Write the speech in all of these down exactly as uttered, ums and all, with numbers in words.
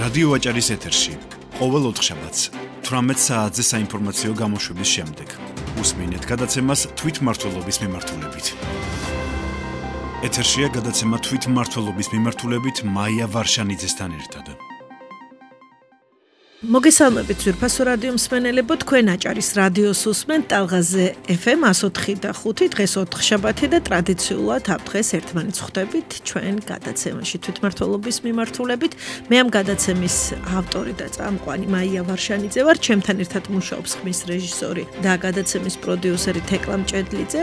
რადიო ვაჭარის ეთერში ყოველ ოთხშაბათს თვრამეტ საათზე საინფორმაციო გამოშვების შემდეგ უსმინეთ გადაცემას თვითმმართველობის მიმართულებით. ეთერშია გადაცემა თვითმმართველობის მიმართულებით მაია ვარშანიძესთან ერთად. მოგესალმებით ძვირფასო რადიო მსმენელებო, თქვენ აჭარის რადიოს უსმენთ ტალღაზე ეფ ემ one oh three და five, დღეს ოთხშაბათი და ტრადიციულად ამ დღეს ერთმანეთს ხვდებით ჩვენ გადაცემაში თვითმმართველობის მიმართულებით. მე ამ გადაცემის ავტორი და წამყვანი მაია ვარშანიძე ვარ, ჩემთან ერთად მუშაობს ხმის რეჟისორი და გადაცემის პროდიუსერი თეკლა მჭედლიძე.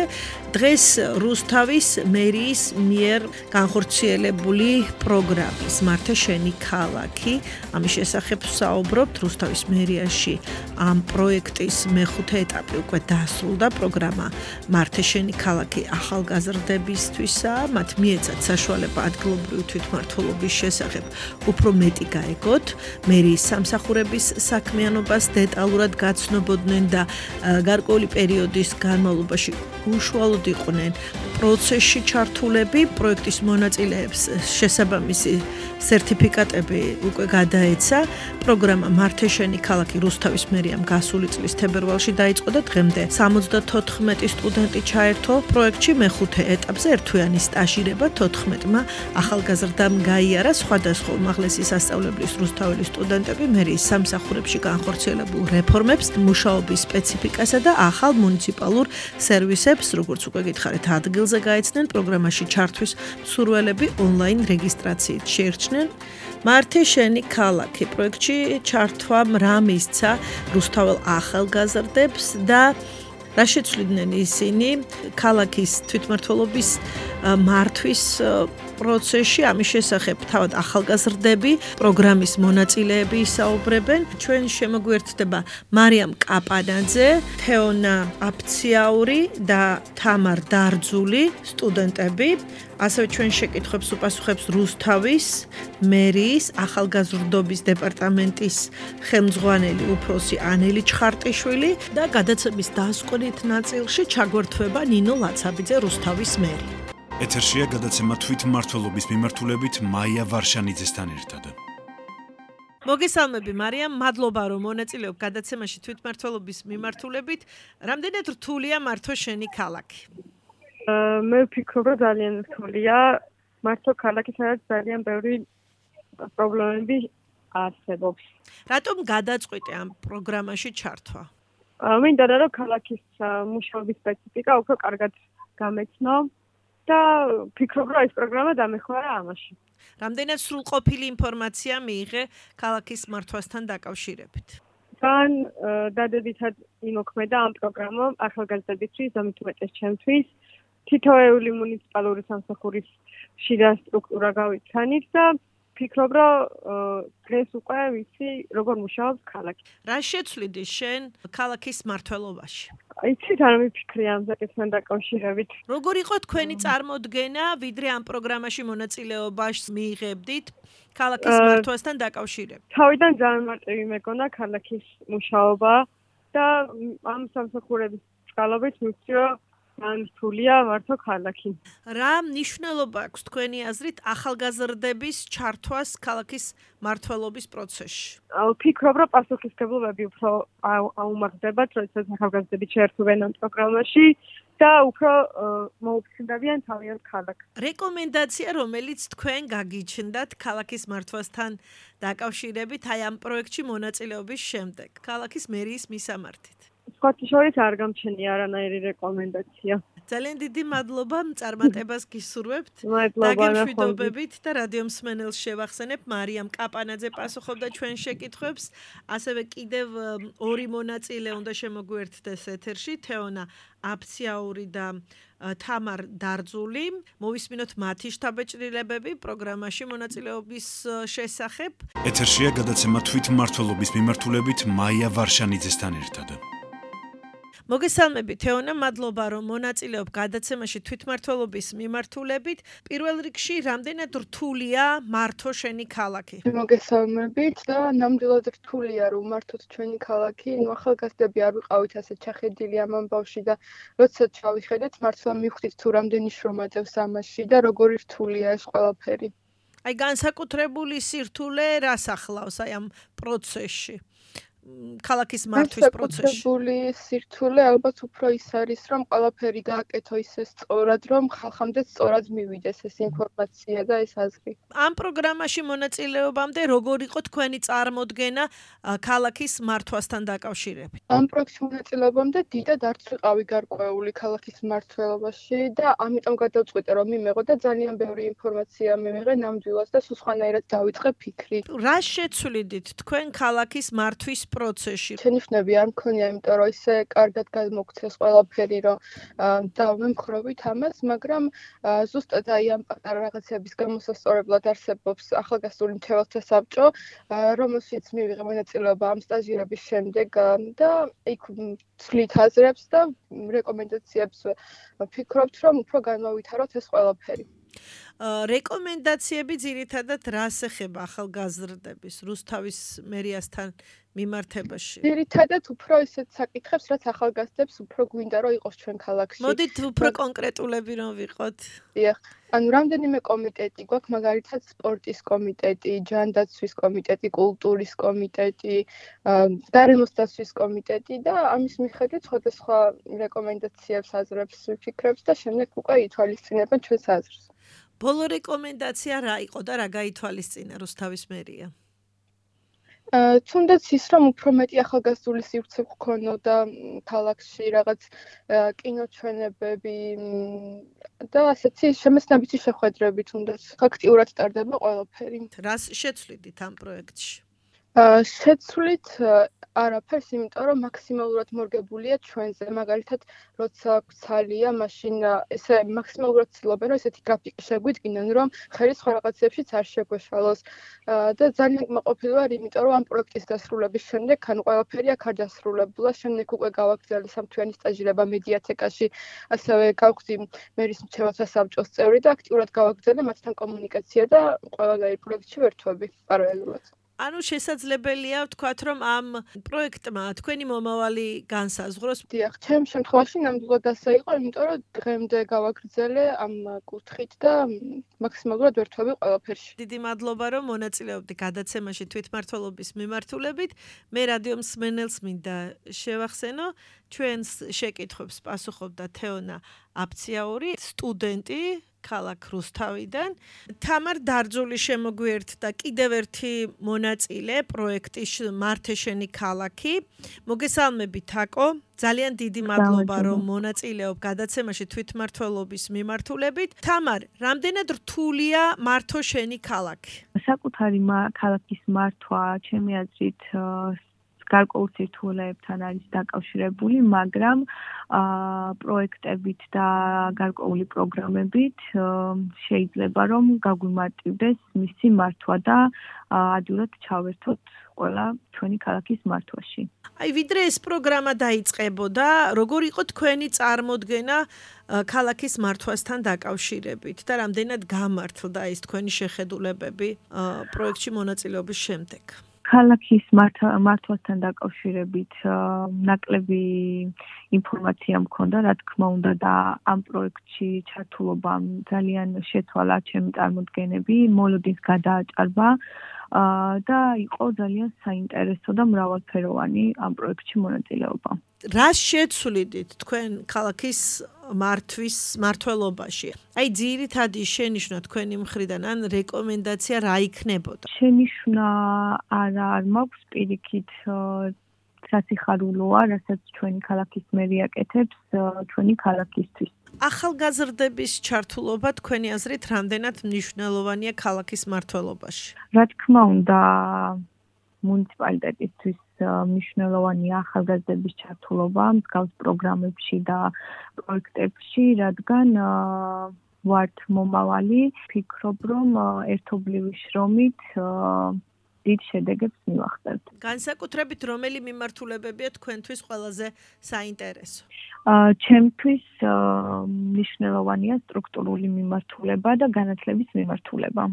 დღეს რუსთავის მერიის მიერ განხორციელებული პროგრამის მართე შენი ქალაქი, ამის შესახებ საუბრობ. რუსთავის მერიაში ამ პროექტის მეხუთე ეტაპი უკვე დასრულდა. პროგრამა მართე შენი ქალაქი ახალგაზრდებისთვისაა, მათ მიეცათ საშუალება ადგილობრივი თვითმმართველობის შესახებ უფრო მეტი გაეგოთ, მერიის სამსახურების საქმიანობას დეტალურად გაცნობოდნენ და გარკვეული პერიოდის განმავლობაში უშუალოდ იყვნენ პროცესში ჩართულები. პროექტის მონაწილეებს შესაბამისი სერტიფიკატები უკვე გადაეცა. პროგრამა მართე შენი ქალაქი რუსთავის მერიამ გასული წლის თებერვალში დაიწყო და დღემდე სამოცდათოთხმეტი სტუდენტი ჩაერთო პროექტში. მეხუთე ეტაპზე ერთთვიანი სტაჟირება თოთხმეტმა ახალგაზრდამ გაიარა. სხვადასხვა უმაღლესი სასწავლებლის რუსთაველი სტუდენტები მერიის სამსახურებში განხორციელებულ რეფორმებს, მუშაობის სპეციფიკასა და ახალ მუნიციპალურ სერვისებს, როგორც უკვე გითხარით, ადგილზე გაეცნენ. პროგრამაში ჩართვის მსურველები ონლაინ რეგისტრაციით შეირჩნენ. მართე შენი ქალაქი პროექტში ჩართვამ რა მისცა რუსთაველ ახალგაზრდებს და რა შეცვლიდნენ ისინი ქალაქის თვითმმართველობის მართვის პროცესში. ამის შესახებ თავად ახალგაზრდები, პროგრამის მონაწილეები ისაუბრებენ. ჩვენ შემოგვიერთდება მარიამ კაპანაძე, თეონა აფციაური და თამარ დარძული სტუდენტები. ასევე ჩვენ შეკითხვებს უპასუხებს რუსთავის მერიის ახალგაზრდობის დეპარტამენტის ხელმძღვანელი უფროსი ანელი ჩხარტიშვილი და გადაცემის დასკვნით ნაწილში ჩაგვერთვება ნინო ლაცაბიძე, რუსთავის მერი. ეთერშია გადაცემა თვითმმართველობის მიმართულებით მაია ვარშანიძესთან ერთად. მოგესალმები მარიამ, მადლობა რომ მონაწილეობ გადაცემაში თვითმმართველობის მიმართულებით. რამდენად რთულია მართო შენი ქალაქი? მე ვფიქრობ, რომ ძალიან რთულია. მართო ქალაქი, სადაც ძალიან ბევრი პრობლემები არსებობს. რატომ გადაწყვიტე ამ პროგრამაში ჩართვა? მინდა რომ ქალაქის მუშაობის სპეციფიკა უფრო კარგად გამეცნო და ვფიქრობ, რომ ეს პროგრამა დამეხმარა ამაში. რამდენად სრულყოფილი ინფორმაცია მიიღე ქალაქის მართვასთან დაკავშირებით? თან დადებითად იმოქმედა ამ პროგრამამ ახალგაზრდებისთვის, ამით უმეტეს ჩემთვის. თითოეული მუნიციპალური სამსახურის შიდა სტრუქტურა გავიცანით და ვფიქრობ, რომ დღეს უკვე ვიცი, როგორ მუშაობს ქალაქი. რა შეცვლიდი შენ ქალაქის მმართველობაში? იცით, არ მიფიქრე ამ საკითხთან დაკავშირებით. როგორ იყო თქვენი წარმოდგენა, ვიდრე ამ პროგრამაში მონაწილეობას მიიღებდით ქალაქის მართვასთან დაკავშირებით? თავიდან ძალიან მარტივი მეგონა ქალაქის მუშაობა და ამ სამსახურების წყალობით მივხვდი, რომ ძალიან რთულია მართო ქალაქი. რა მნიშვნელობა აქვს თქვენი აზრით ახალგაზრდების ჩართვას ქალაქის მმართველობის პროცესში? ვფიქრობ, რომ პასუხისმგებლობები უფრო აუმაღრდებათ, როდესაც ახალგაზრდები ჩაერთვენ ამ პროგრამაში და უფრო მოუფრინდებიან თავიანთ ქალაქს. რეკომენდაცია, რომელიც თქვენ გაგიჩნდათ ქალაქის მართვასთან დაკავშირებით აი ამ პროექტში მონაწილეობის შემდეგ, ქალაქის მერიის მისამართით? სხვათა შორის არ გამჩენია არანაირი რეკომენდაცია. ძალიან დიდი მადლობა, წარმატებას გისურვებთ. მადლობა. დაგემშვიდობებით და რადიო მსმენელს შევახსენებ, მარიამ კაპანაძე პასუხობდა ჩვენ შეკითხვებს. ასევე კიდევ ორი მონაწილე უნდა შემოგვიერთდეს ეთერში, თეონა აფციაური და თამარ დარძული. მოვისმინოთ მათი შთაბეჭდილებები პროგრამაში მონაწილეობის შესახებ. ეთერშია გადაცემა თვითმმართველობის მიმართულებით მაია ვარშანიძესთან ერთად. მოგესალმები თეონა, მადლობა რომ მონაწილეობ გადაცემაში თვითმმართველობის მიმართულებით. პირველ რიგში რამდენად რთულია მართო შენი ქალაქი? მოგესალმებით და ნამდვილად რთულია რომ მართოთ ჩვენი ქალაქი. ნუ ახალგაზრდები არ ვიყავით ასე ჩახედილი ამ ამბავში და როდესაც ჩავიხედეთ, მართლა მივხვდით თუ რამდენი შრომა წევს ამაში და როგორი რთულია ეს ყველაფერი. აი განსაკუთრებული სირთულე რას ახლავს აი ამ პროცესში? ქალაქის მართვის პროცესში. განსაკუთრებული სირთულე ალბათ უფრო ის არის, რომ ყველაფერი გააკეთო ისე სწორად, რომ ხალხამდე სწორად მივიდეს ეს ინფორმაცია და ეს აზრი. ამ პროგრამაში მონაწილეობამდე როგორ იყო თქვენი წარმოდგენა ქალაქის მართვასთან დაკავშირებით? ამ პროექტში მონაწილეობამდე დიდად არც ვიყავი გარკვეული ქალაქის მმართველობაში და ამიტომ გადავწყვიტე, რომ მიმეღო და ძალიან ბევრი ინფორმაცია მივიღე ნამდვილად და სულ სხვანაირად დავიწყე ფიქრი. რა შეცვლიდით თქვენ ქალაქის მართვის პროცესში? შენიშვნები არ მქონია, იმიტომ რომ ისე კარგად გადმოგცეს ყველაფერი, რომ დავმემხრობით ამას, მაგრამ ზუსტად აი ამ პატარა რაღაცების გამოსასწორებლად არსებობს ახალგაზრდული მრჩეველთა საბჭო, რომელშიც მივიღე მონაწილეობა ამ სტაჟირების შემდეგ და იქ ვცვლით აზრებს და რეკომენდაციებს ვფიქრობთ, რომ უფრო განმოვითაროთ ეს ყველაფერი. რეკომენდაციები ძირითადად რას ეხება ახალგაზრდების რუსთავის მერიასთან მიმართებაში? ძირითადად უფრო ისეთ საკითხებს, რაც ახალგაზრდებს უფრო გვინდა რომ იყოს ჩვენ ქალაქში. მოდით უფრო კონკრეტულები რომ ვიყოთ. დიახ, ანუ რამდენიმე კომიტეტი გვაქვს, მაგალითად სპორტის კომიტეტი, ჯანდაცვის კომიტეტი, კულტურის კომიტეტი, გარემოს დაცვის კომიტეტი და ამის მიხედვით სხვადასხვა რეკომენდაციებს, აზრებს, ფიქრებს და შემდეგ უკვე ითვალისწინებენ ჩვენს აზრს. ბოლო რეკომენდაცია რა იყო და რა გაითვალისწინა რუსთავის მერია? თუნდაც ის რომ უფრო მეტი ახალგაზრდული სივრცე გქონოდა ქალაქში, რაღაც კინოჩვენებები და ასეთი შემეცნებითი შეხვედრები თუნდაც აქტიურად ტარდება ყველაფერი. რას შეცვლიდით ამ პროექტში? შეცვლით არაფერს, იმიტომ რომ მაქსიმალურად მორგებულია ჩვენზე. მაგალითად, როცა გვცალია, მაშინ ესე მაქსიმალურად ცდილობენ, რომ ესეთი გრაფიკი შეგვიდგინონ, რომ ხელი სხვა რაღაცებშიც არ შეგვეშალოს. და ძალიან კმაყოფილი ვარ, იმიტომ რომ ამ პროექტის დასრულების შემდეგ, ანუ ყველაფერი აქ არ დასრულებულა, შემდეგ უკვე გავაგრძელე სამთვიანი სტაჟირება მედიათეკაში, ასევე გავხდი მერის მრჩეველთა საბჭოს წევრი და აქტიურად გავაგრძელე მათთან კომუნიკაცია და ყველანაირ პროექტში ვერთვები პარალელურად. ანუ შესაძლებელია ვთქვათ, რომ ამ პროექტმა თქვენი მომავალი განსაზღვროს? დიახ, ჩემ შემთხვევაში ნამდვილად ასე იყო, იმიტომ რომ დღემდე გავაგრძელე ამ კუთხით და მაქსიმალურად ვერთვები ყველაფერში. დიდი მადლობა, რომ მონაწილეობდი გადაცემაში თვითმმართველობის მიმართულებით. მე რადიო მსმენელს მინდა შევახსენო, ჩვენს შეკითხვებს პასუხობდა თეონა აფციაური, სტუდენტი ქალაქ რუსთავიდან. თამარ დარძული შემოგვიერთდა კიდევ ერთი მონაწილე პროექტის მართე შენი ქალაქი. მოგესალმებით თაკო. ძალიან დიდი მადლობა რომ მონაწილეობ გადაცემაში თვითმმართველობის მიმართულებით. თამარ, რამდენად რთულია მართო შენი ქალაქი? საკუთარი ქალაქის მართვა ჩემი აზრით გარკვეულ სირთულეებთან არის დაკავშირებული, მაგრამ პროექტებით და გარკვეული პროგრამებით შეიძლება რომ გაგვიმარტივდეს მისი მართვა და ადვილად ჩავერთოთ ყველა ჩვენი ქალაქის მართვაში. აი, ვიდრე ეს პროგრამა დაიწყებოდა, როგორ იყო თქვენი წარმოდგენა ქალაქის მართვასთან დაკავშირებით და რამდენად გამართლდა ეს თქვენი შეხედულებები პროექტში მონაწილეობის შემდეგ? ქალაქის მართვასთან დაკავშირებით ნაკლები ინფორმაცია მქონდა, რა თქმა უნდა და ამ პროექტში ჩართულობამ ძალიან შეცვალა ჩემი წარმოდგენები, მოლოდინს გადააჭარბა და იყო ძალიან საინტერესო და მრავალფეროვანი ამ პროექტში მონაწილეობა. რას შეცვლიდით თქვენ ქალაქის მართვის მართლობაში? აი ძირითადი შენიშვნა თქვენი მხრიდან ან რეკომენდაცია რა იქნებოდა? შენიშვნა არა არ მაქვს პირიქით სასიხარულოა, რასაც ჩვენი ქალაქის მერი აკეთებს ჩვენი ქალაქისთვის. ახალგაზრდების ჩართულობა თქვენი აზრით რამდენად მნიშვნელოვანია ქალაქის მართლობაში? რა თქმა უნდა, მუნიციპალიტეტისთვის მნიშვნელოვანია ახალგაზრდების ჩართულობა მსგავს პროგრამებში და პროექტებში, რადგან ვართ მომავალი, ფიქრობ, რომ ერთობლივი შრომით დიდ შედეგებს მივახცევთ. განსაკუთრებით რომელი მიმართულებებია თქვენთვის ყველაზე საინტერესო? ჩემთვის მნიშვნელოვანია სტრუქტურული მიმართულება და განათლების მიმართულება.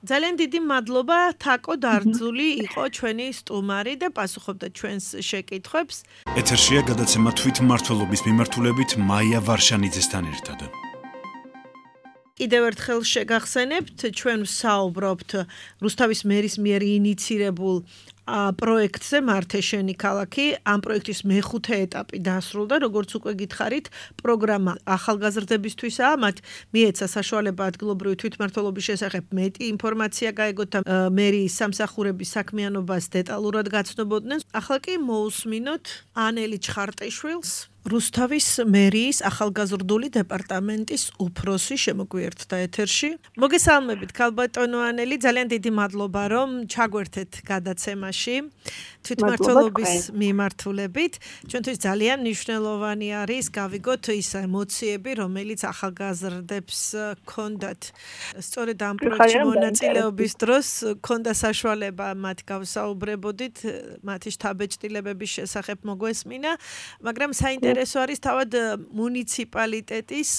ძალიან დიდი მადლობა, თაკო დარძული იყო ჩვენი სტუმარი და პასუხობდა ჩვენს შეკითხვებს. ეთერშია გადაცემა თვითმმართველობის მიმართულებით მაია ვარშანიძესთან ერთად. კიდევ ერთხელ შეგახსენებთ, ჩვენ ვსაუბრობთ რუსთავის მერის მიერ ინიცირებულ პროექტზე მართე შენი ქალაქი. ამ პროექტის მეხუთე ეტაპი დასრულდა, როგორც უკვე გითხარით, პროგრამა ახალგაზრდებისთვისაა, მათ მიეცა საშუალება ადგილობრივი თვითმმართველობის შესახებ მეტი ინფორმაცია გაეგოთ და მერიის სამსახურების საქმიანობას დეტალურად გაცნობოდნენ. ახლა კი მოусმინოთ ანელი ჩხარტიშვილს, რუსთავის მერიის ახალგაზრდული დეპარტამენტის უფროსი შემოგვიერთდა ეთერში. მოგესალმებით, ქალბატონო ანელი, ძალიან დიდი მადლობა, რომ ჩაგვერთეთ გადაცემაში თვითმმართველობის მიმართულებით. ჩვენთვის ძალიან მნიშვნელოვანი არის გავიგოთ ის ემოციები, რომელიც ახალგაზრდებს ჰქონდათ. სწორედ ამ პროექტში მონაწილეობის დროს ჰქონდა საშუალება მათ გავსაუბრებოდით, მათი შთაბეჭდილებების შესახებ მოგვესმინა, მაგრამ საინტერესო ეს არის თავად მუნიციპალიტეტის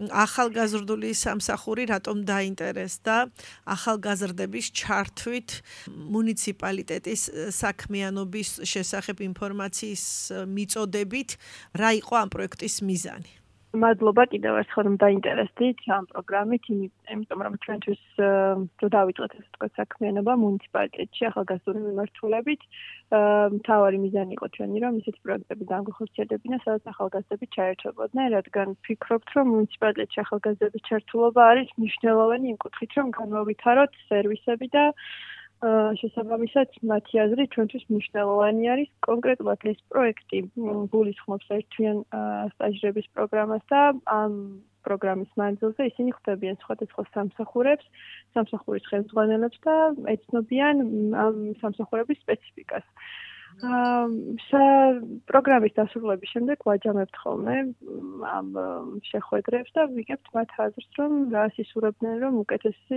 ახალგაზრდული სამსახური რატომ დაინტერესდა ახალგაზრდების ჩართვით მუნიციპალიტეტის საქმიანობის შესახებ ინფორმაციის მიწოდებით, რა იყო ამ პროექტის მიზანი? მადლობა კიდევ ერთხელ რომ დაინტერესდით ამ პროგრამით, იმიტომ რომ ჩვენთვის რო დავიწყეთ ესე თქვა საქმიანობა მუნიციპალიტეტში ახალგაზრდული მიმართულებით, მთავარი მიზანი იყო ჩვენი რომ ისეთი პროექტები განხორციელებინა, სადაც ახალგაზრდები ჩაერთვებოდნენ, რადგან ვფიქრობთ, რომ მუნიციპალიტეტში ახალგაზრდების ჩართულობა არის მნიშვნელოვანი იმ კუთხით, რომ განვავითაროთ სერვისები და შესაბამისად მათი აზრით ჩვენთვის მნიშვნელოვანი არის კონკრეტულად ეს პროექტი გულისხმობს ერთთვიან სტაჟირების პროგრამას და ამ პროგრამის მანძილზე ისინი ხვდებიან სხვადასხვა სამსახურებს, სამსახურის ხელმძღვანელებს და ეცნობიან ამ სამსახურების სპეციფიკას. პროგრამის დასრულების შემდეგ ვაჯამებთ ხოლმე ამ შეხვედრებს და ვიგებთ მათ აზრს, რომ რას ისურვებდნენ, რომ უკეთესი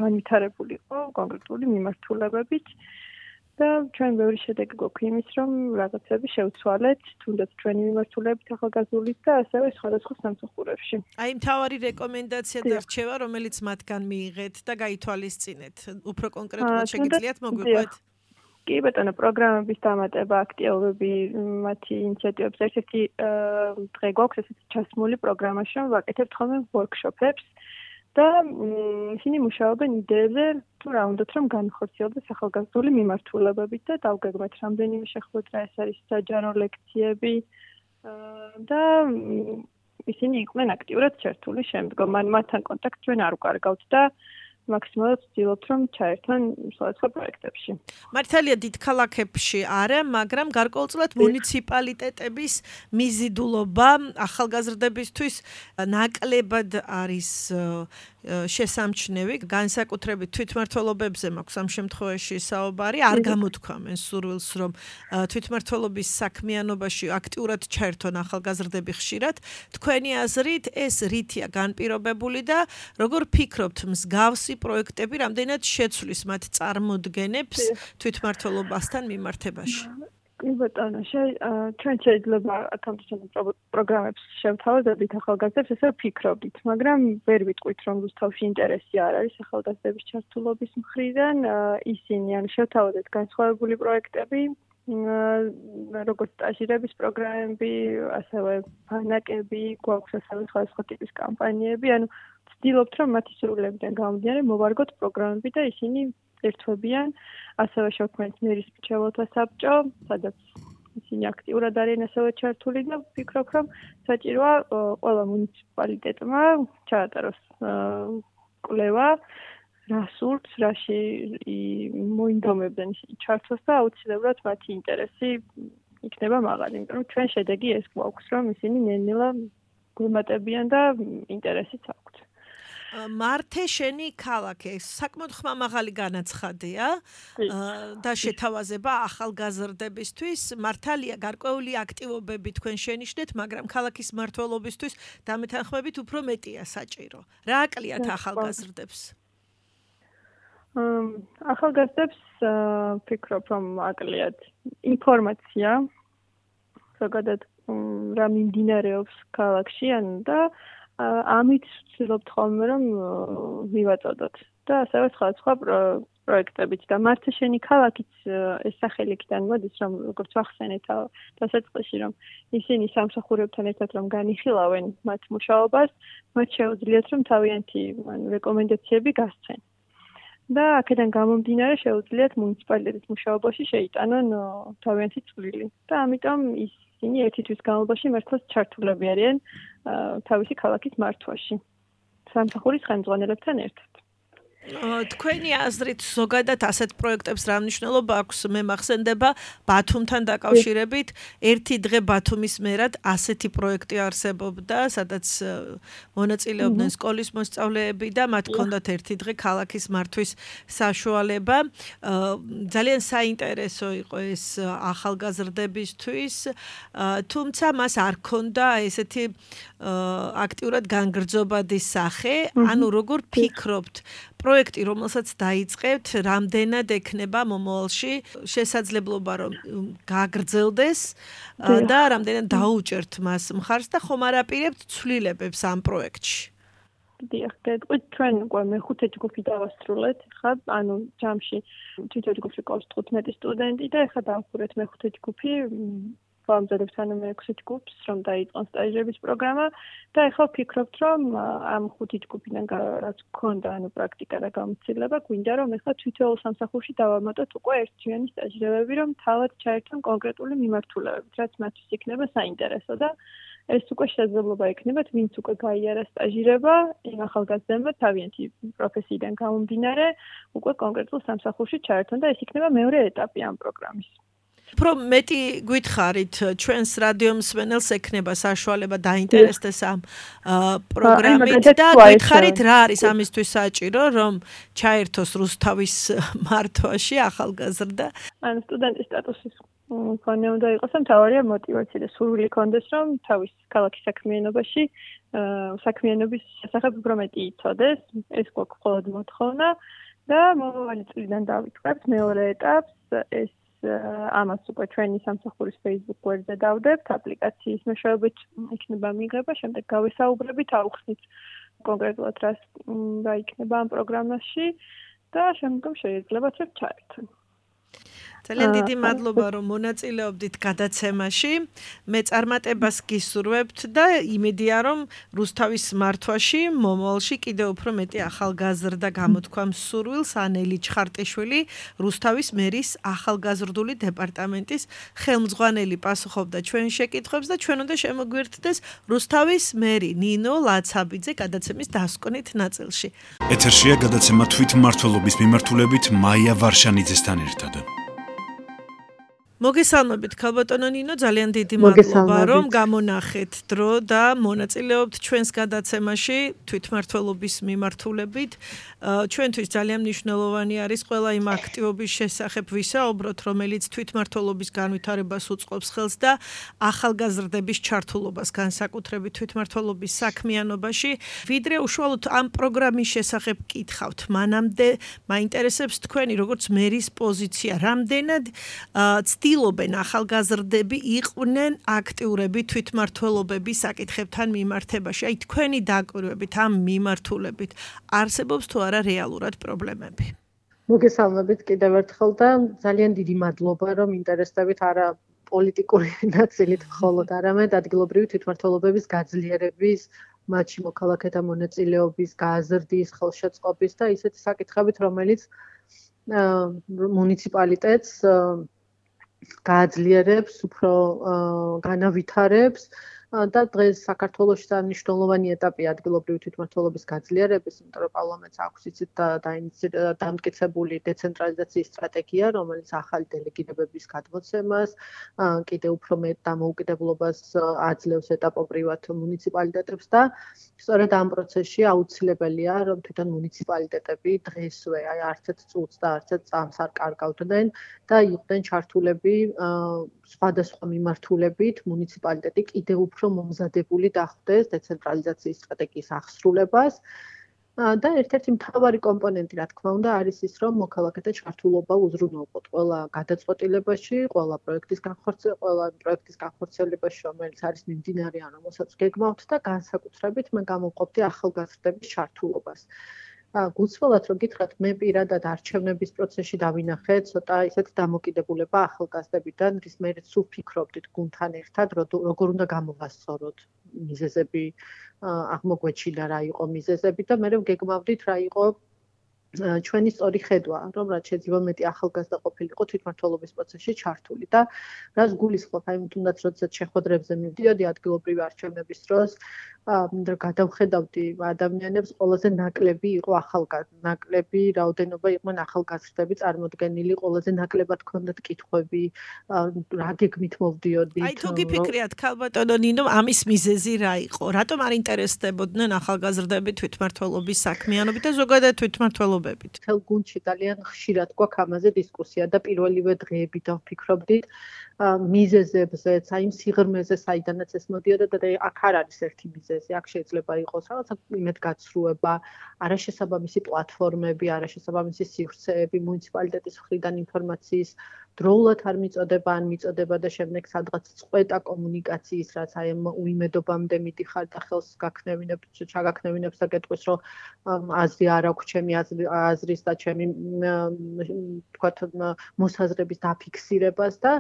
განვითარებული იყო კონკრეტული მიმართულებებით და ჩვენ ბევრი შედეგი გვაქვს იმის, რომ რაღაცები შევცვალეთ, თუნდაც ჩვენი მიმართულებით ახალგაზრდულით და ასევე სხვადასხვა სამსახურებში. აი, მთავარი რეკომენდაცია და რჩევა, რომელიც მათგან მიიღეთ და გაითვალისწინეთ. უფრო კონკრეტულად შეგიძლიათ მოგვიყვეთ? კი ბატონო, პროგრამების დამატება, აქტიობები, მათი ინიციატივებს ერთ-ერთი დღე გვაქვს ესეთი ჩასმული პროგრამაში, რომ ვაკეთებთ ხოლმე ვორქშოპებს და ისინი მუშაობენ იდეებზე, თუ რა უნდათ რომ განხორციელდეს ახალგაზრდული მიმართულებებით და დავგეგმეთ რამდენიმე შეხვედრა, ეს არის საჯარო ლექციები და ისინი იყვნენ აქტიურად ჩართული შემდგომ. მან მათთან კონტაქტს ჩვენ არ ვკარგავთ და მაქსიმალურად ვცდილობთ, რომ ჩაერთონ სხვადასხვა პროექტებში. მართალია დიდ ქალაქებში არა, მაგრამ გარკვეულწილად მუნიციპალიტეტების მიზიდულობა ახალგაზრდებისთვის ნაკლებად არის შესამჩნევი, განსაკუთრებით თვითმმართველობებზე მაქვს ამ შემთხვევაში საუბარი, არ გამოთქვამენ სურვილს, რომ თვითმმართველობის საქმიანობაში აქტიურად ჩაერთონ ახალგაზრდები ხშირად. თქვენი აზრით ეს რითია განპირობებული და როგორ ფიქრობთ მსგავსი პროექტები რამდენად შეცვლის მათ წარმოდგენებს თვითმმართველობასთან მიმართებაში? კი ბატონო, ჩვენ შეიძლება აქამდე პროგრამებს შევთავაზებდით ახალგაზრდებს, ესე ვფიქრობდით, მაგრამ ვერ ვიტყვით, რომ რუსთავში ინტერესი არ არის ახალგაზრდების ჩართულობის მხრიდან. ისინი ან შევთავაზეთ განსხვავებული პროექტები, როგორც სტაჟირების პროგრამები, ასევე ბანაკები, გვაქვს ასევე სხვადასხვა ტიპის კამპანიები, ანუ ვცდილობთ, რომ მათი სურვილებიდან გამომდინარე მოვარგოთ პროგრამები და ისინი ერთვებიან, ასევე შევქმნით მერის მრჩეველთა საბჭო, სადაც ისინი აქტიურად არიან ასევე ჩართული და ვფიქრობ, რომ საჭიროა ყველა მუნიციპალიტეტმა ჩაატაროს კვლევა, რა სურთ, რაში მოინდომებდნენ ისინი ჩართვას და აუცილებლად მათი ინტერესი იქნება მაღალი, იმიტომ რომ ჩვენ შედეგი ეს გვაქვს, რომ ისინი ნელ-ნელა გვემატებიან და ინტერესიც აქვთ. მართე შენი ქალაქი საკმაოდ ხმამაღალი განაცხადია და შეთავაზება ახალგაზრდებისთვის. მართალია გარკვეული აქტივობები თქვენ შენიშნეთ, მაგრამ ქალაქის მმართველობისთვის დამეთანხმებით უფრო მეტია საჭირო. რა აკლიათ ახალგაზრდებს? ახალგაზრდებს ვფიქრობ, რომ აკლიათ ინფორმაცია, ზოგადად რა მიმდინარეობს ქალაქში, ან და ამით ვცდილობთ ხოლმე, რომ ვივაწოდოთ და ასევე სხვა სხვა პროექტებით და მართა შენი ქალაქიც ეს სახელი იქიდან მოდის, რომ როგორც ვახსენეთ დასაწყისში, რომ ისინი სამსახურებთან ერთად რომ განიხილავენ მათ მუშაობას, მათ შეუძლიათ რომ თავიანთი რეკომენდაციები გასცენ. და აქედან გამომდინარე შეუძლიათ მუნიციპალიტეტის მუშაობაში შეიტანონ თავიანთი წვლილი. და ამიტომ ისინი ერთი თვის განმავლობაში მართლაც ჩართულები არიან თავისი ქალაქის მართვაში. სამსახურის ხელმძღვანელებთან ერთად. თქვენი აზრით ზოგადად ასეთ პროექტებს რა მნიშვნელობა აქვს? მე მახსენდება ბათუმთან დაკავშირებით ერთი დღე ბათუმის მერად ასეთი პროექტი არსებობდა, სადაც მონაწილეობდნენ სკოლის მოსწავლეები და მათ ჰქონდათ ერთი დღე ქალაქის მართვის საშუალება. ძალიან საინტერესო იყო ეს ახალგაზრდებისთვის, თუმცა მას არ ჰქონდა ესეთი აქტიურად განგრძობადი სახე. ანუ როგორ ფიქრობთ, პროექტი, რომელსაც დაიწყებთ, რამდენად ექნება მომავალში შესაძლებლობა, რომ გაგრძელდეს და რამდენად დაუჭერთ მას მხარს და ხომ არ აპირებთ ცვლილებებს ამ პროექტში? დიახ, გეტყვით, ჩვენ უკვე მეხუთე ჯგუფი დავასრულეთ, ხა, ანუ ჯამში თვითონ ჯგუფში ყავს თხუთმეტი სტუდენტი და ეხლა დავხურეთ მეხუთე ჯგუფი. ვამზადებთ ანუ მეექვსე ჯგუფს, რომ დაიწყონ სტაჟების პროგრამა და ეხლა ვფიქრობთ, რომ ამ ხუთი ჯგუფიდან რაც გქონდა, ანუ პრაქტიკა და გამოცდილება, გვინდა რომ ეხლა თითოეულ სამსახურში დავამატოთ უკვე ერთთვიანი სტაჟირებები, რომ თავად ჩაერთონ კონკრეტული მიმართულებებით, რაც მათთვის იქნება საინტერესო და ეს უკვე შესაძლებლობა ექნებათ, ვინც უკვე გაიარა სტაჟირება, იმ ახალგაზრდებმა თავიანთი პროფესიიდან გამომდინარე, უკვე კონკრეტულ სამსახურში ჩაერთონ და ეს იქნება მეორე ეტაპი ამ პროგრამის. უფრო მეტი გითხარით, ჩვენს რადიო მსმენელს ექნება საშუალება დაინტერესდეს ამ პროგრამით და გითხარით რა არის ამისთვის საჭირო, რომ ჩაერთოს რუსთავის მართვაში ახალგაზრდა? ანუ სტუდენტის სტატუსის მქონე უნდა იყოს, მთავარია мотиваცია და სურვილი ქონდეს, რომ თავის ქალაქის საქმიანობაში საქმიანობის შესახებ უფრო მეტი იცოდეს, ეს გვაქვს მხოლოდ მოთხოვნა და მომავალი წლიდან დავიწყებთ მეორე ეტაპს, ეს ამას უკვე ჩვენი სამსახურის Facebook გვერდზე დავდებთ, აპლიკაციის მეშვეობით იქნება მიღება, შემდეგ გავესაუბრებით, აუხსნით კონკრეტულად რას რა იქნება ამ პროგრამაში და შემდგომ შეიძლებათ რომ ჩაერთონ. ძალიან დიდი მადლობა, რომ მონაწილეობდით გადაცემაში. მე წარმატებას გისურვებთ და იმედია, რომ რუსთავის მართვაში მომავალში კიდევ უფრო მეტი ახალგაზრდა გამოთქვამს სურვილს. ანელი ჩხარტიშვილი, რუსთავის მერის ახალგაზრდული დეპარტამენტის ხელმძღვანელი პასუხობდა ჩვენ შეკითხვებს და ჩვენ უნდა შემოგვერთდეს რუსთავის მერი ნინო ლაცაბიძე გადაცემის დასკვნით ნაწილში. ეთერშია გადაცემა თვითმმართველობის მიმართულებით მაია ვარშანიძესთან ერთად. მოგესალმებით ქალბატონო ნინო, ძალიან დიდი მადლობა, რომ გამონახეთ დრო და მონაწილეობთ ჩვენს გადაცემაში თვითმმართველობის მიმართულებით. ჩვენთვის ძალიან მნიშვნელოვანი არის ყველა იმ აქტივობის შესახებ ვისაუბროთ, რომელიც თვითმმართველობის განვითარებას უწყობს ხელს და ახალგაზრდების ჩართულობას განსაკუთრებით თვითმმართველობის საქმიანობაში. ვიდრე უშუალოდ ამ პროგრამის შესახებ გითხავთ, მანამდე მაინტერესებს თქვენი როგორც მერის პოზიცია, რამდენად ცდილობენ ახალგაზრდები იყვნენ აქტიურები თვითმმართველობების საკითხებთან მიმართებაში. აი თქვენი დაკვირვებით ამ მიმართულებით არსებობს თუ არა რეალურად პრობლემები? მოგესალმებით კიდევ ერთხელ და ძალიან დიდი მადლობა, რომ ინტერესდებით არა პოლიტიკური ნაწილით მხოლოდ, არამედ ადგილობრივი თვითმმართველობების გაძლიერების, მათში მოქალაქეთა მონაწილეობის, გაზრდის, ხელშეწყობის და ისეთი საკითხებით, რომელიც მუნიციპალიტეტს გააძლიერებს, უფრო განავითარებს და დღეს საქართველოში მნიშვნელოვანი ეტაპი ადგილობრივი თვითმმართველობის გაძლიერების, იმიტომ რომ პარლამენტს აქვს იცით დამტკიცებული დეცენტრალიზაციის სტრატეგია, რომელიც ახალი დელეგირებების გადმოცემას, კიდევ უფრო მეტ დამოუკიდებლობას აძლევს ეტაპობრივად მუნიციპალიტეტებს და სწორედ ამ პროცესში აუცილებელია, რომ თვითონ მუნიციპალიტეტები დღესვე აი არც ერთ წუთს და არც ერთ წამს არ კარგავდნენ და იყვნენ ჩართულები სხვადასხვა მიმართულებით მუნიციპალიტეტი კიდევ უფრო მომზადებული დახვდეს დეცენტრალიზაციის სტრატეგიის აღსრულებას და ერთ-ერთი მთავარი კომპონენტი, რა თქმა უნდა, არის ის, რომ მოქალაქეთა ჩართულობა უზრუნველყოთ ყველა გადაწყვეტილებაში, ყველა პროექტის განხორციელებაში, ყველა პროექტის განხორციელებაში, რომელიც არის მიმდინარე ან რომელსაც გეგმავთ და განსაკუთრებით მე გამოვყოფდი ახალგაზრდების ჩართულობას. გულწრფელად რომ გითხრათ, მე პირადად არჩევნების პროცესში დავინახე ცოტა ისეთ დამოკიდებულება ახალგაზრდებიდან, რის მე სულ ფიქრობდით გუნდთან ერთად, როგორ უნდა გამოვასწოროთ მიზეზები, აღმოგვეჩინა რა იყო მიზეზები და მე ვგეგმავდით რა იყო ჩვენი სწორი ხედვა, რომ რაც შეიძლება მეტი ახალგაზრდა ყოფილიყო თვითმმართველობის პროცესში ჩართული და რაც გულისხმობ, აი თუნდაც როდესაც შეხვედრებზე მივდიოდი ადგილობრივი არჩევნების დროს, და გადავხედავდი ადამიანებს, ყველაზე ნაკლები იყო ახალგაზრდა, ნაკლები რაოდენობა იყვნენ ახალგაზრდები წარმოდგენილი, ყველაზე ნაკლებად ჰქონდათ კითხვები, რა გეგმით მოვდიოდით. აი თუ გიფიქრიათ, ქალბატონო ნინო, ამის მიზეზი რა იყო? რატომ არ ინტერესდებოდნენ ახალგაზრდები თვითმმართველობის საქმიანობით და ზოგადად თვითმმართველობებით? თელ გუნდში ძალიან ხშირად გვაქვს ამაზე დისკუსია და პირველივე დღეებიდან ვფიქრობდით მიზეზებზეც, აი იმ სიღრმეზე, საიდანაც ეს მოდიოდა და აქ არ არის ერთი მიზეზი, აქ შეიძლება იყოს რაღაცა იმედგაცრუება, არაშესაბამისი პლატფორმები, არაშესაბამისი სივრცეები, მუნიციპალიტეტის მხრიდან ინფორმაციის დროულად არ მიწოდება, ან მიწოდება და შემდეგ სადღაც წყვეტა კომუნიკაციის, რაც აი ამ უიმედობამდე მიდიხარ და ხელს გაქნევინებ, ჩაგაქნევინებს და გეტყვის, რომ აზრი არ აქვს ჩემი აზრის და ჩემი თქვათ მოსაზრების დაფიქსირებას და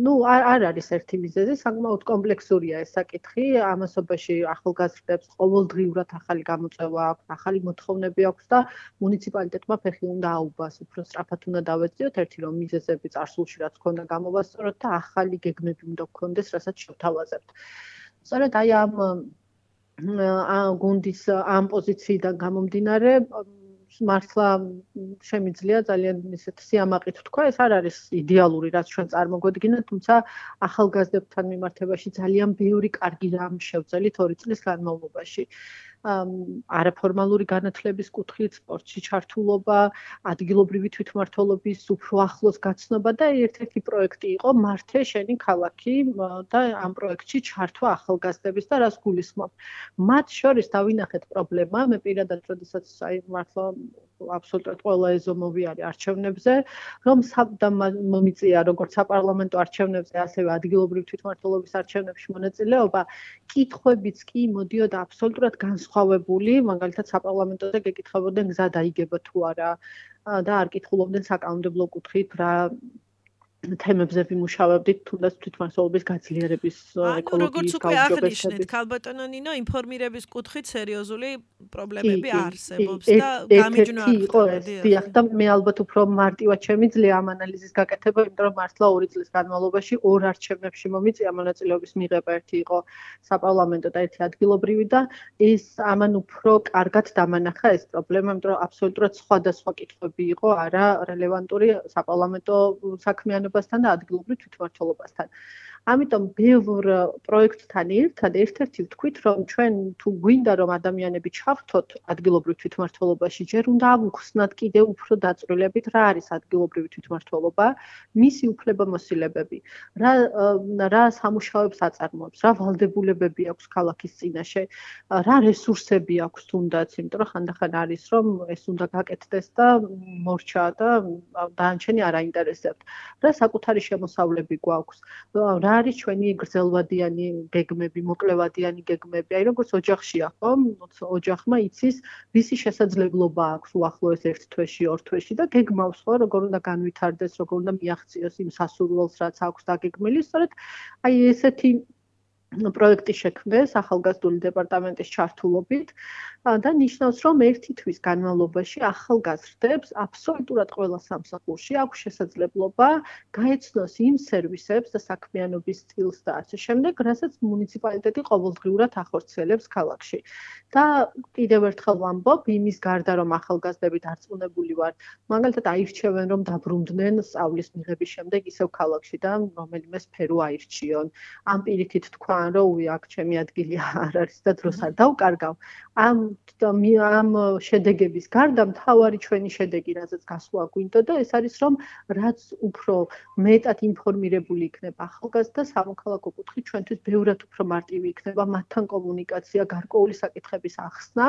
ну არ არის ერთი მიზეზი, საკმაოდ კომპლექსურია ეს საკითხი, ამასობაში ახალგაზრდებს ყოველდღიურად ახალი გამოწვევა აქვს, ახალი მოთხოვნები აქვს და მუნიციპალიტეტმა ფეხი უნდა აუბას, უფრო სწრაფად უნდა დავეწიოთ, ერთი რომ მიზეზები წარსულში რაც ქონდა გამოვასწოროთ და ახალი გეგმები უნდა გქონდეს, რასაც შევთავაზებთ. სწორედ აი ამ გუნდის ამ პოზიციიდან გამომდინარე მართლა შემიძლია ძალიან ისეთ სიამაყით თქვა, ეს არ არის იდეალური, რაც ჩვენ წარმოგვედგინეთ, თუმცა ახალგაზრდებთან მიმართებაში ძალიან ბევრი კარგი რამ შევძელით ორი წლის განმავლობაში. არაფორმალური განათლების კუთხით, სპორტში ჩართულობა, ადგილობრივი თვითმმართველობის უფრო ახლოს გაცნობა და ერთ-ერთი პროექტი იყო მართე შენი ქალაქი და ამ პროექტში ჩართვა ახალგაზრდების და რას გულისხმობ. მათ შორის დავინახეთ პრობლემა, მე პირადად როდესაც აი მართლა აბსოლუტურად ყველა ეზომოვიარე არჩევნებზე, რომ მომიწია როგორც საპარლამენტო არჩევნებზე, ასევე ადგილობრივი თვითმმართველობის არჩევნებში მონაწილეობა, კითხვებიც კი მოდიოდა აბსოლუტურად განსხვავებული, მაგალითად საპარლამენტოზე გეკითხებოდნენ გზა დაიგება თუ არა და არ კითხულობდნენ საკანონმდებლო კუთხით რა თემებზე ვიმუშავებდით, თუნდაც თვითმმართველობის გაძლიერების ეკოლოგიის გაუმჯობესების. ქალბატონო ნინო, ინფორმირების კუთხით სერიოზული პრობლემები არსებობს და გამიჯნა არის. დიახ, და მე ალბათ უფრო მარტივად შემიძლია ამ ანალიზის გაკეთება, იმიტომ რომ მართლა ორი წლის განმავლობაში ორ არჩევნებში მომიწია მონაწილეობის მიღება, ერთი იყო საპარლამენტო და ერთი ადგილობრივი და ეს ამან უფრო კარგად დამანახა ეს პრობლემა, იმიტომ რომ აბსოლუტურად სხვადასხვა კითხვები იყო, არა რელევანტური საპარლამენტო საქმიანობასთან და ადგილობრივ თვითმმართველობასთან. ამიტომ ბევრ პროექტთან ერთად ერთ-ერთი ვთქვით, რომ ჩვენ თუ გვინდა რომ ადამიანები ჩავრთოთ ადგილობრივ თვითმმართველობაში, ჯერ უნდა ავუხსნათ კიდევ უფრო დაწვრილებით რა არის ადგილობრივი თვითმმართველობა, მისი უფლებამოსილებები, რა რა სამუშაოებს აწარმოებს, რა ვალდებულებები აქვს ქალაქის წინაშე, რა რესურსები აქვს თუნდაც, იმიტომ რომ ხანდახან არის რომ ეს უნდა გაკეთდეს და მორჩა და დანარჩენი არ აინტერესებთ. რა საკუთარი შემოსავლები გვაქვს, რა არის ჩვენი გრძელვადიანი გეგმები, მოკლევადიანი გეგმები, აი როგორც ოჯახშია, ხო? ოჯახმა იცის, ვისი შესაძლებლობა აქვს უახლოეს ერთ თვეში, ორ თვეში და გეგმავს, ხო, როგორ უნდა განვითარდეს, როგორ უნდა მიაღწიოს იმ სასურველს, რაც აქვს დაგეგმილი, სწორედ აი ესეთი პროექტი შექმნეს ახალგაზრდული დეპარტამენტის ჩართულობით და ნიშნავს, რომ ერთი თვის განმავლობაში ახალგაზრდებს აბსოლუტურად ყველა სამსახურში აქვს შესაძლებლობა გაეცნოს იმ სერვისებს და საქმიანობის სტილს და ასე შემდეგ, რასაც მუნიციპალიტეტი ყოველდღიურად ახორციელებს ქალაქში. და კიდევ ერთხელ ვამბობ, იმის გარდა რომ ახალგაზრდები დარწმუნებული ვარ, მაგალითად აირჩევენ რომ დაბრუნდნენ სწავლის მიღების შემდეგ ისევ ქალაქში და რომელიმე სფერო აირჩიონ. ამ პირიქით თქვა რომ უი აქ ჩემი ადგილი არ არის და დროს არ დავკარგავ. ამ ამ შედეგების გარდა მთავარი ჩვენი შედეგი, რასაც გასვლა გვინდა და ეს არის რომ რაც უფრო მეტად ინფორმირებული იქნება ახალგაზრდა სამოქალაქო კუთხით ჩვენთვის ბევრად უფრო მარტივი იქნება მათთან კომუნიკაცია, გარკვეული საკითხების ახსნა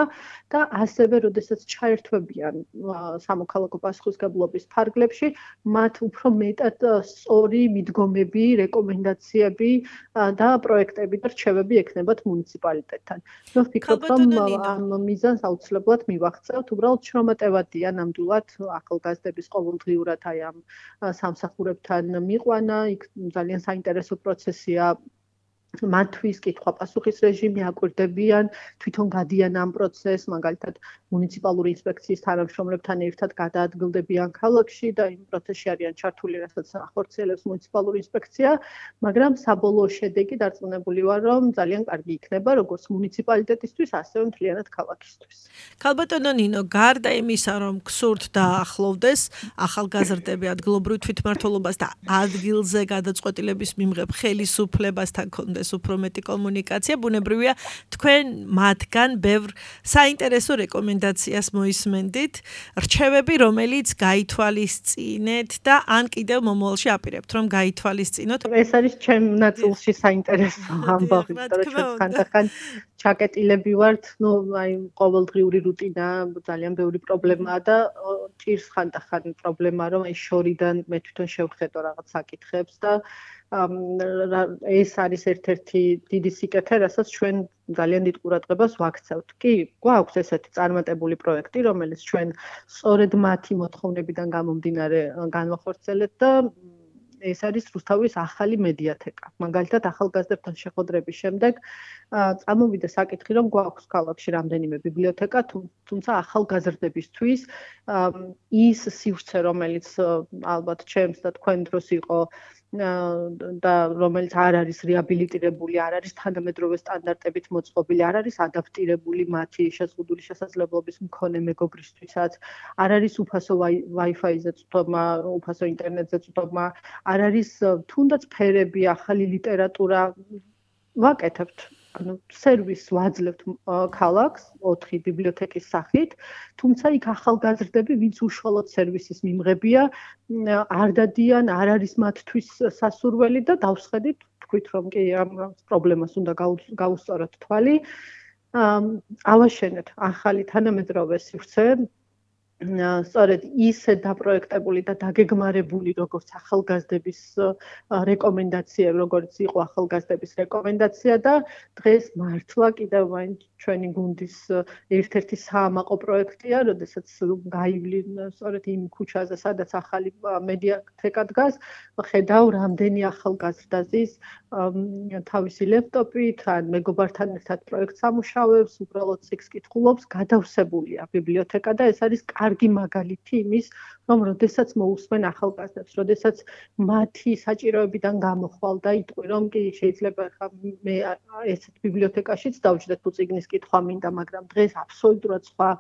და ასევე როდესაც ჩაერთვებიან სამოქალაქო პასუხისმგებლობის ფარგლებში, მათ უფრო მეტად სწორი მიდგომები, რეკომენდაციები და პროექტები და რჩევები ექნებათ მუნიციპალიტეტთან. მე ვფიქრობ, რომ ამ მიზანს აუცილებლად მივახცევთ. უბრალოდ შრომატევადია ნამდვილად ახალგაზრდების ყოველდღიურად აი ამ სამსახურებთან მიყვანა, იქ ძალიან საინტერესო პროცესია. მათთვის კითხვა-პასუხის რეჟიმი აკვირდებიან, თვითონ გადიან ამ პროცესს, მაგალითად მუნიციპალური ინსპექციის თანამშრომლებთან ერთად გადაადგილდებიან ქალაქში და იმ პროცესში არიან ჩართული, რასაც ახორციელებს მუნიციპალური ინსპექცია, მაგრამ საბოლოო შედეგი დარწმუნებული ვარ, რომ ძალიან კარგი იქნება როგორც მუნიციპალიტეტისთვის, ასევე მთლიანად ქალაქისთვის. ქალბატონო ნინო, გარდა იმისა, რომ გსურთ დაახლოვდეს ახალგაზრდები ადგილობრივ თვითმმართველობას და ადგილზე გადაწყვეტილების მიმღებ ხელისუფლებასთან კონდეს უფრო მეტი კომუნიკაცია, ბუნებრივია თქვენ მათგან ბევრ საინტერესო რეკომენდაციას მოისმენდით, რჩევები, რომელიც გაითვალისწინეთ და ან კიდევ მომავალში აპირებთ, რომ გაითვალისწინოთ. ეს არის ჩემ ნაწილში საინტერესო ამბავი, იმიტომ რომ ჩვენ ხანდახან ჩაკეტილები ვართ, ну, აი ყოველდღიური რუტინა, ძალიან ბევრი პრობლემაა და ჭირს ხანდახან პრობლემა, რომ აი შორიდან მე თვითონ შევხედო რაღაც საკითხებს და ეს არის ერთ-ერთი დიდი სიკეთე, რასაც ჩვენ ძალიან დიდ ყურადღებას ვაქცევთ. კი, გვაქვს ესეთი წარმატებული პროექტი, რომელიც ჩვენ სწორედ მათი მოთხოვნებიდან გამომდინარე განვახორციელებთ და ეს არის რუსთავის ახალი მედიათეკა. მაგალითად, ახალგაზრდებთან შეხვედრების შემდეგ წამოვიდა საკითხი, რომ გვაქვს ქალაქში რამდენიმე ბიბლიოთეკა, თუმცა ახალგაზრდებისთვის ის სივრცე, რომელიც ალბათ ჩემს და თქვენ დროს იყო და რომელიც არ არის რეაბილიტირებული, არ არის თანამედროვე სტანდარტებით მოწყობილი, არ არის ადაპტირებული მათი შეზღუდული შესაძლებლობის მქონე მეგობრისთვისაც, არ არის უფასო Wi-Fi-ზე წვდომა, უფასო ინტერნეტზე წვდომა, არ არის თუნდაც ფერები, ახალი ლიტერატურა ვაკეთებთ. ანუ სერვისს ვაძლევთ ქალაქს ოთხი ბიბლიოთეკის სახით, თუმცა იქ ახალგაზრდები, ვინც უშუალოდ სერვისის მიმღებია, არ დადიან, არ არის მათთვის სასურველი და დავსხედით, თქვით რომ კი ამ პრობლემას უნდა გაუსწოროთ თვალი. ავაშენეთ ახალი თანამედროვე სივრცე, სწორედ ისე დაპროექტებული და დაგეგმარებული, როგორც ახალგაზრდების რეკომენდაციები, როგორც იყო ახალგაზრდების რეკომენდაცია და დღეს მართლა კიდევ მაინც ჩვენი გუნდის ერთ-ერთი საამაყო პროექტია, როდესაც გაივლინ სწორედ იმ ქუჩაზე, სადაც ახალი მედიათეკა დგას, ხედავ რამდენი ახალგაზრდა ზის თავისი ლეპტოპით, ან მეგობართან ერთად პროექტს ამუშავებს, უბრალოდ სიქს კითხულობს, გადავსებულია ბიბლიოთეკა და ეს არის კარგი მაგალითი იმის, რომ როდესაც მოусმენ ახალგაზრდებს, როდესაც მათი საჭიროებიდან გამოხვალ და იტყვი, რომ კი შეიძლება ხა მე ესეთ ბიბლიოთეკაშიც დავჯდეთ თუ წიგნის კითხვა მინდა, მაგრამ დღეს აბსოლუტურად სხვა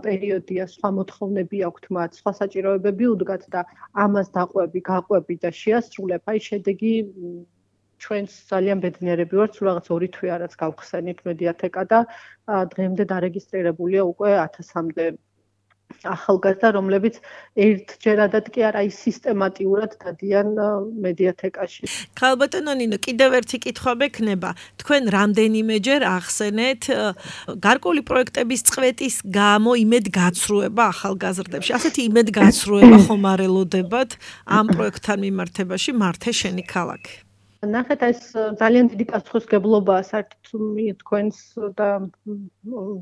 პერიოდია, სხვა მოთხოვნები აქვთ მათ, სხვა საჭიროებები უდგათ და ამას დაყვები, გაყვები და შეასრულებ, აი შედეგი ჩვენს ძალიან ბედნიერები ვართ, სულ რაღაც ორი თვე არაც გავხსენით მედიათეკა და დღემდე დარეგისტრირებულია უკვე ათასამდე ახალგაზრდა, რომლებიც ერთჯერადად კი არა, ის სისტემატიურად დადიან მედიათეკაში. ქალბატონო ნინო, კიდევ ერთი კითხვა მექნება. თქვენ რამდენიმეჯერ ახსენეთ გარკვეული პროექტების წვეტის გამო იმედგაცრუება ახალგაზრდებში. ასეთი იმედგაცრუება ხომ არ ელოდებათ ამ პროექტთან მიმართებაში მართე შენი ქალაქი? ნახეთ, ეს ძალიან დიდი პასუხისმგებლობაა საერთოდ თქვენს და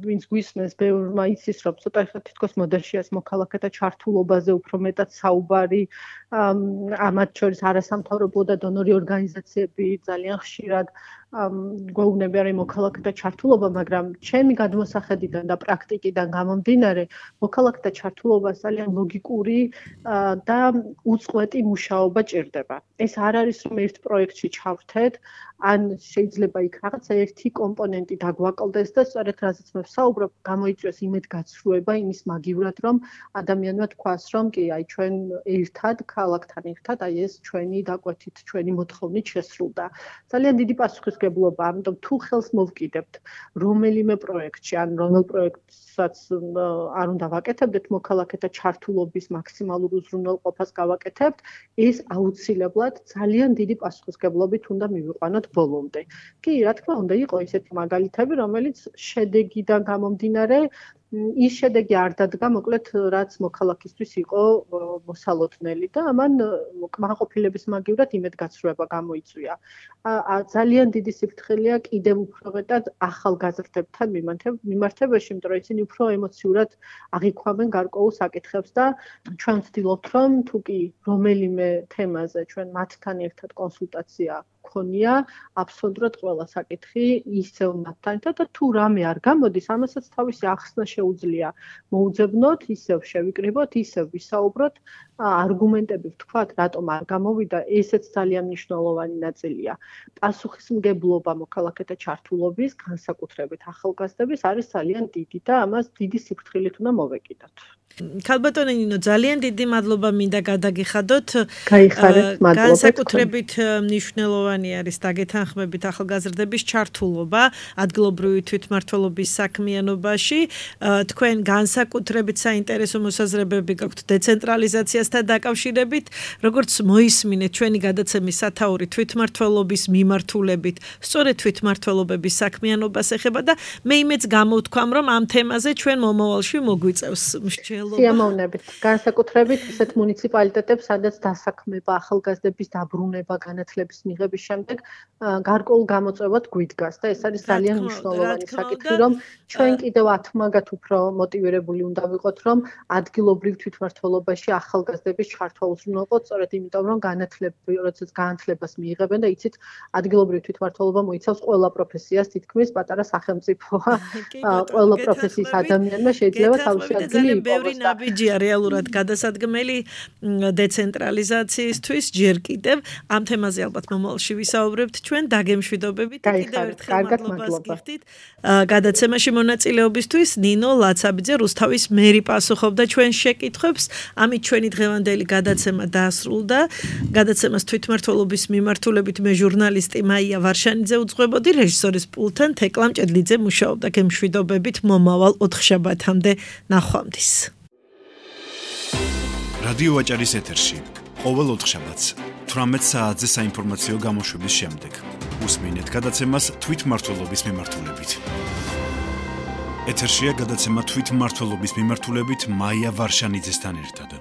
ვინც გვისმენს, ბევრმა იცის, რომ ცოტა ხა თითქოს მოდერშიას მოქალაქეთა ჩართულობაზე უფრო მეტად საუბარი, ამათ შორის არასამთავრობო და დონორი ორგანიზაციები ძალიან ხშირად გვეუბნებიან რომ მოქალაქეთა ჩართულობა, მაგრამ ჩემი გადმოსახედიდან და პრაქტიკიდან გამომდინარე, მოქალაქეთა ჩართულობა ძალიან ლოგიკური და უწყვეტი მუშაობა ჭირდება. ეს არ არის რომ ერთ პროექტში ჩავრთეთ, ან შეიძლება იქ რაღაცა ერთი კომპონენტი დაგვაკლდეს და სწორედ რაზეც მე ვსაუბრობ, გამოიწვიოს იმედგაცრუება იმის მაგივრად, რომ ადამიანმა თქვას, რომ კი, აი ჩვენ ერთად, ქალაქთან ერთად, აი ეს ჩვენი დაკვეთით, ჩვენი მოთხოვნით შესრულდა. ძალიან დიდი პასუხისმგებლობაა, ამიტომ თუ ხელს მოვკიდებთ რომელიმე პროექტში, ან რომელ პროექტსაც არ უნდა ვაკეთებდეთ, მოქალაქეთა ჩართულობის მაქსიმალურ უზრუნველყოფას გავაკეთებთ, ეს აუცილებლად ძალიან დიდი პასუხისმგებლობით უნდა მივიყვანოთ ბოლომდე. კი, რა თქმა უნდა, იყო ისეთი მაგალითები, რომელიც შედეგიდან გამომდინარე ის შედეგი არ დადგა, მოკლედ, რაც მოქალაქისთვის იყო მოსალოდნელი და ამან კმაყოფილების მაგივრად იმედგაცრუება გამოიწვია. ძალიან დიდი სიფრთხილეა კიდევ უფრო მეტად ახალგაზრდებთან მიმართებაში, იმიტომ რომ ისინი უფრო ემოციურად აღიქვამენ გარკვეულ საკითხებს და ჩვენ ვცდილობთ, რომ თუ კი რომელიმე თემაზე ჩვენ მათთან ერთად კონსულტაცია ქონია, აბსოლუტურად ყველა საკითხი ისევ მათთან და თუ რამე არ გამოდის, ამასაც თავისი ახსნა შეუძლია მოუძებნოთ, ისევ შევიკრიბოთ, ისევ ვისაუბროთ, არგუმენტები ვთქვათ, რატომ არ გამოვიდა, ესეც ძალიან მნიშვნელოვანი ნაწილია. პასუხისმგებლობა მოქალაქეთა ჩართულობის, განსაკუთრებით ახალგაზრდების არის ძალიან დიდი და ამას დიდი სიფრთხილით უნდა მოვეკიდოთ. ქალბატონი ნინო, ძალიან დიდი მადლობა მინდა გადაგიხადოთ. გაიხარეთ, მადლობა. განსაკუთრებით მნიშვნელოვანი არის დაგეთანხმებით ახალგაზრდების ჩართულობა ადგილობრივი თვითმმართველობის საქმიანობაში. თქვენ განსაკუთრებით საინტერესო მოსაზრებები გაქვთ დეცენტრალიზაციასთან დაკავშირებით, როგორც მოისმინეთ ჩვენი გადაცემის სათაური თვითმმართველობის მიმართულებით, სწორედ თვითმმართველობების საქმიანობას ეხება და მე იმეც გამოვთქვამ, რომ ამ თემაზე ჩვენ მომავალში მოგვიწევს მსჯელობა. სიამოვნებით. განსაკუთრებით ისეთ მუნიციპალიტეტებს, სადაც დასაქმება ახალგაზრდების დაბრუნება განათლების მიღების შემდეგ გარკვეულ გამოწვევად გვიდგას და ეს არის ძალიან მნიშვნელოვანი საკითხი, რომ ჩვენ კიდევ ათმაგად უფრო მოტივირებული უნდა ვიყოთ, რომ ადგილობრივ თვითმმართველობაში ახალგაზრდების ჩართვა უზრუნველყოთ, სწორედ იმიტომ, რომ განათლები, როდესაც განათლებას მიიღებენ და იცით, ადგილობრივ თვითმმართველობა მოიცავს ყველა პროფესიას, თითქმის პატარა სახელმწიფოა. ყველა პროფესიის ადამიანმა შეიძლება თავისი ადგილი იპოვოს. ნაბიჯია რეალურად გადასადგმელი დეცენტრალიზაციისთვის ჯერ კიდევ ამ თემაზე ალბათ მომავალში ვისაუბრებთ ჩვენ დაგემშვიდობებით და კიდევ ერთხელ მადლობას გიხდით გადაცემაში მონაწილეობისთვის. ნინო ლაცაბიძე, რუსთავის მერი პასუხობდა ჩვენ შეკითხვებს. ამით ჩვენი დღევანდელი გადაცემა დაასრულდა. გადაცემას თვითმმართველობის მიმართულებით მე ჟურნალისტი მაია ვარშანიძე უძღვებოდი, რეჟისორის პულტთან თეკლა მჭედლიძე მუშაობდა. გემშვიდობებით მომავალ ოთხშაბათამდე ნახვამდის. რადიო ვაჭარის ეთერში ყოველ ოთხშაბათს თვრამეტ საათზე საინფორმაციო გამოშვების შემდეგ უსმინეთ გადაცემას თვითმმართველობის მიმართულებით. ეთერშია გადაცემა თვითმმართველობის მიმართულებით მაია ვარშანიძესთან ერთად.